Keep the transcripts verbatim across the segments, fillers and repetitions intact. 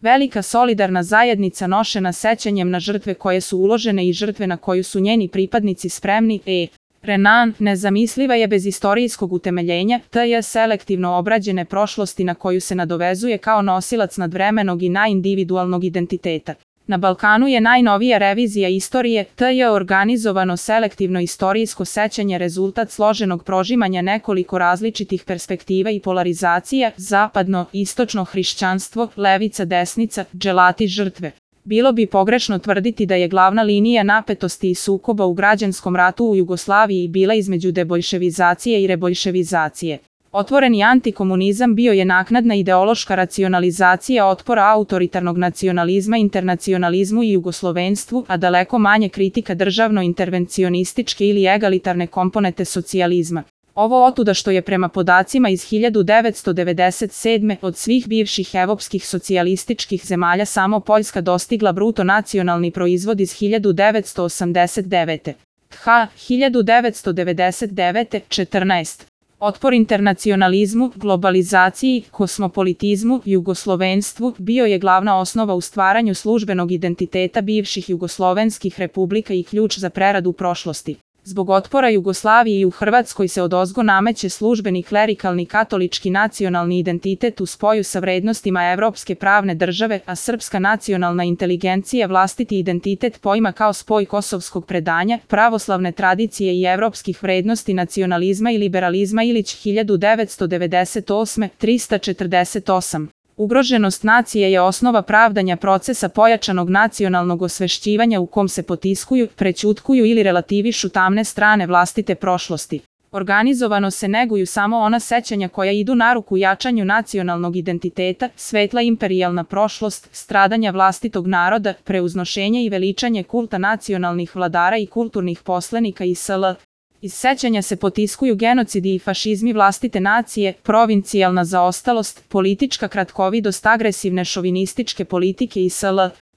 Velika solidarna zajednica nošena sećanjem na žrtve koje su uložene i žrtve na koju su njeni pripadnici spremni, e. Renan, nezamisliva je bez istorijskog utemeljenja, te je selektivno obrađene prošlosti na koju se nadovezuje kao nosilac nadvremenog i najindividualnog identiteta. Na Balkanu je najnovija revizija istorije, te je organizovano selektivno istorijsko sećanje rezultat složenog prožimanja nekoliko različitih perspektiva i polarizacija, zapadno, istočno hrišćanstvo, levica, desnica, dželati, žrtve. Bilo bi pogrešno tvrditi da je glavna linija napetosti i sukoba u građanskom ratu u Jugoslaviji bila između debojševizacije i reboljševizacije. Otvoreni antikomunizam bio je naknadna ideološka racionalizacija otpora autoritarnog nacionalizma internacionalizmu i jugoslovenstvu, a daleko manje kritika državno-intervencionističke ili egalitarne komponente socijalizma. Ovo otuda što je prema podacima iz hiljadu devetsto devedeset sedme. od svih bivših evropskih socijalističkih zemalja samo Poljska dostigla bruto nacionalni proizvod iz hiljadu devetsto osamdeset devete. H. hiljadu devetsto devedeset devete. četrnaest. Otpor internacionalizmu, globalizaciji, kosmopolitizmu, jugoslovenstvu bio je glavna osnova u stvaranju službenog identiteta bivših jugoslovenskih republika i ključ za preradu prošlosti. Zbog otpora Jugoslaviji i u Hrvatskoj se odozgo nameće službeni klerikalni katolički nacionalni identitet u spoju sa vrednostima evropske pravne države, a srpska nacionalna inteligencija vlastiti identitet poima kao spoj kosovskog predanja, pravoslavne tradicije i evropskih vrednosti nacionalizma i liberalizma. Ilić hiljadu devetsto devedeset osme. trista četrdeset osam. Ugroženost nacije je osnova pravdanja procesa pojačanog nacionalnog osvešćivanja u kom se potiskuju, prećutkuju ili relativišu tamne strane vlastite prošlosti. Organizovano se neguju samo ona sećanja koja idu na ruku jačanju nacionalnog identiteta, svetla imperijalna prošlost, stradanja vlastitog naroda, preuznošenje i veličanje kulta nacionalnih vladara i kulturnih poslenika i sl. Iz sećanja se potiskuju genocidi i fašizmi vlastite nacije, provincijalna zaostalost, politička kratkovidost agresivne šovinističke politike i sl.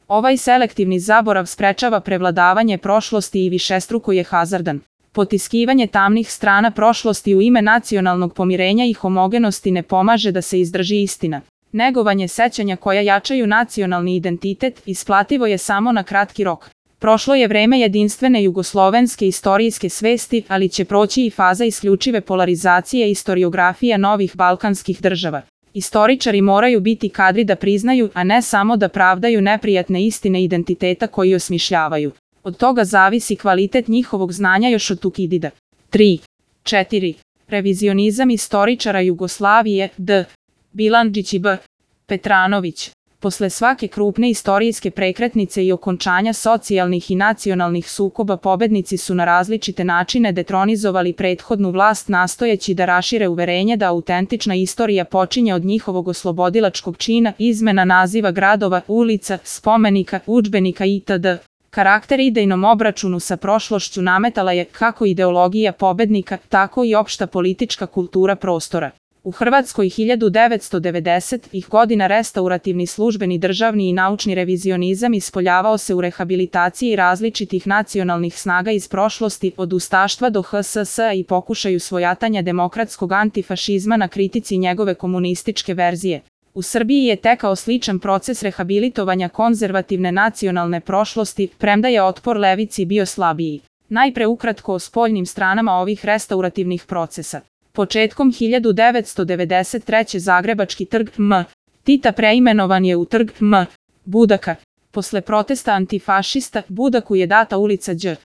Ovaj selektivni zaborav sprečava prevladavanje prošlosti i višestruko je hazardan. Potiskivanje tamnih strana prošlosti u ime nacionalnog pomirenja i homogenosti ne pomaže da se izdrži istina. Negovanje sećanja koja jačaju nacionalni identitet isplativo je samo na kratki rok. Prošlo je vreme jedinstvene jugoslovenske istorijske svesti, ali će proći i faza isključive polarizacije i istoriografija novih balkanskih država. Istoričari moraju biti kadri da priznaju, a ne samo da pravdaju neprijatne istine identiteta koji osmišljavaju. Od toga zavisi kvalitet njihovog znanja još od Tukidida. tri. četiri. Revizionizam istoričara Jugoslavije, D. Bilandžić i B. Petranović. Posle svake krupne istorijske prekretnice i okončanja socijalnih i nacionalnih sukoba pobednici su na različite načine detronizovali prethodnu vlast nastojeći da rašire uverenje da autentična istorija počinje od njihovog oslobodilačkog čina, izmena naziva gradova, ulica, spomenika, udžbenika itd. Karakter idejnom obračunu sa prošlošću nametala je kako ideologija pobednika, tako i opšta politička kultura prostora. U Hrvatskoj hiljadu devetsto devedesetih godina restaurativni službeni državni i naučni revizionizam ispoljavao se u rehabilitaciji različitih nacionalnih snaga iz prošlosti, od ustaštva do ha es es i pokušaju svojatanja demokratskog antifašizma na kritici njegove komunističke verzije. U Srbiji je tekao sličan proces rehabilitovanja konzervativne nacionalne prošlosti, premda je otpor levici bio slabiji. Najpre ukratko o spoljnim stranama ovih restaurativnih procesa. Početkom hiljadu devetsto devedeset treće Zagrebački trg M. Tita preimenovan je u trg M. Budaka. Posle protesta antifašista, Budaku je data ulica Đ.